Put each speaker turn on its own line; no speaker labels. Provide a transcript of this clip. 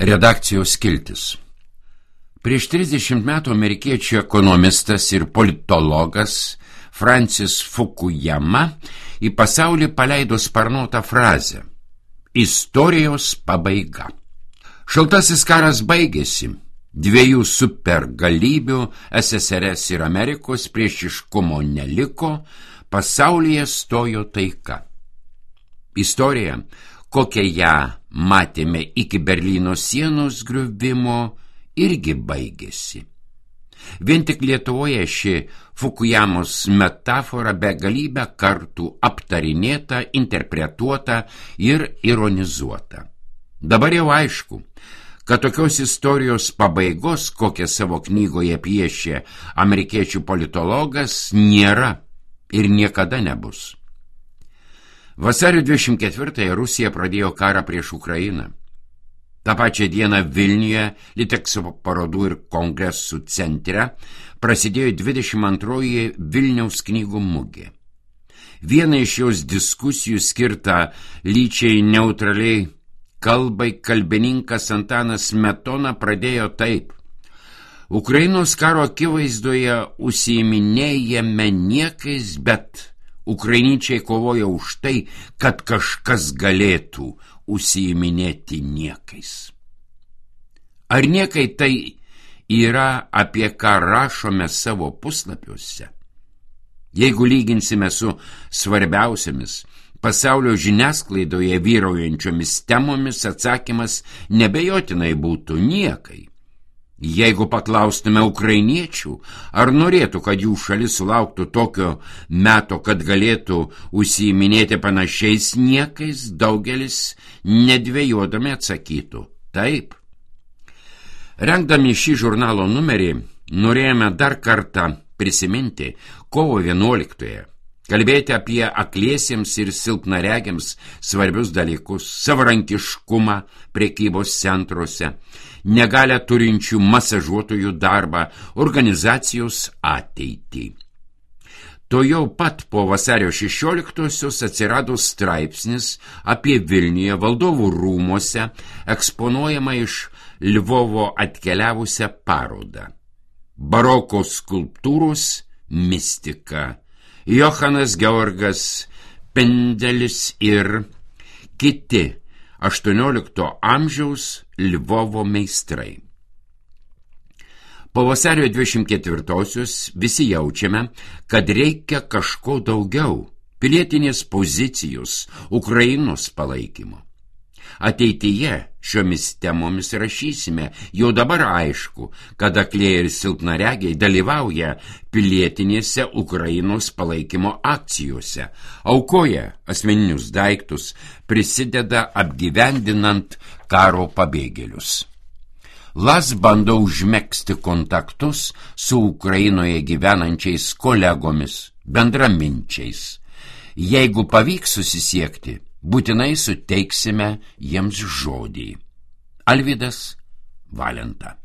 Redakcijos skiltis. Prieš 30 metų amerikiečių ekonomistas ir politologas Francis Fukuyama į pasaulį paleido sparnuotą frazę „Istorijos pabaiga“. Šaltasis karas baigėsi, dviejų supergalybių SSRS ir Amerikos priešiškumo neliko, pasaulyje stojo taika. Istorija, kokią ją matėme iki Berlyno sienos griuvimo, irgi baigėsi. Vien tik Lietuvoje ši Fukuyamos metafora begalybę kartų aptarinėta, interpretuota ir ironizuota. Dabar jau aišku, kad tokios istorijos pabaigos, kokią savo knygoje piešė amerikiečių politologas, nėra ir niekada nebus. Vasario 24-ąją Rusija pradėjo karą prieš Ukrainą. Ta pačią dieną Vilniuje, Litekspo parodų ir kongresų centre, prasidėjo 22-oji Vilniaus knygų mugė. Viena iš jos diskusijų skirta lyčiai neutraliai kalbai kalbininkas Antanas Smetona pradėjo taip: Ukrainos karo akivaizdoje užsiiminėjame niekais, bet ukrainiečiai kovoja už tai, kad kažkas galėtų užsiiminėti niekais. Ar niekai tai yra, apie ką rašome savo puslapiuose? Jeigu lyginsime su svarbiausiamis pasaulio žiniasklaidoje vyraujančiomis temomis, atsakymas nebejotinai būtų niekai. Jeigu paklaustume ukrainiečių, ar norėtų, kad jų šalis sulauktų tokio meto, kad galėtų užsiiminėti panašiais niekais, daugelis nedvejodami atsakytų taip. Rengdami šį žurnalo numerį, norėjome dar kartą prisiminti kovo 11-ąją, kalbėti apie akliesiems ir silpnaregiams svarbius dalykus, savarankiškumą prekybos centruose, negalę turinčių masažuotojų darbą, organizacijos ateitį. To jau pat po vasario 16-osios atsirado straipsnis apie Vilniuje valdovų rūmuose eksponuojamą iš Lvovo atkeliavusią parodą. Baroko skulptūros mistika. Johanas Georgas Pendelis ir kiti 18 amžiaus Lvovo meistrai. Po vasario 24-osios visi jaučiame, kad reikia kažko daugiau, pilietinės pozicijos, Ukrainos palaikymo. Ateityje šiomis temomis rašysime, jau dabar aišku, kad aklieji ir silpnaregiai dalyvauja pilietinėse Ukrainos palaikymo akcijose, aukoja asmeninius daiktus, prisideda apgyvendinant karo pabėgėlius. LAS bando užmegzti kontaktus su Ukrainoje gyvenančiais kolegomis, bendraminčiais. Jeigu pavyks susisiekti, būtinai suteiksime jiems žodį. Alvydas Valenta.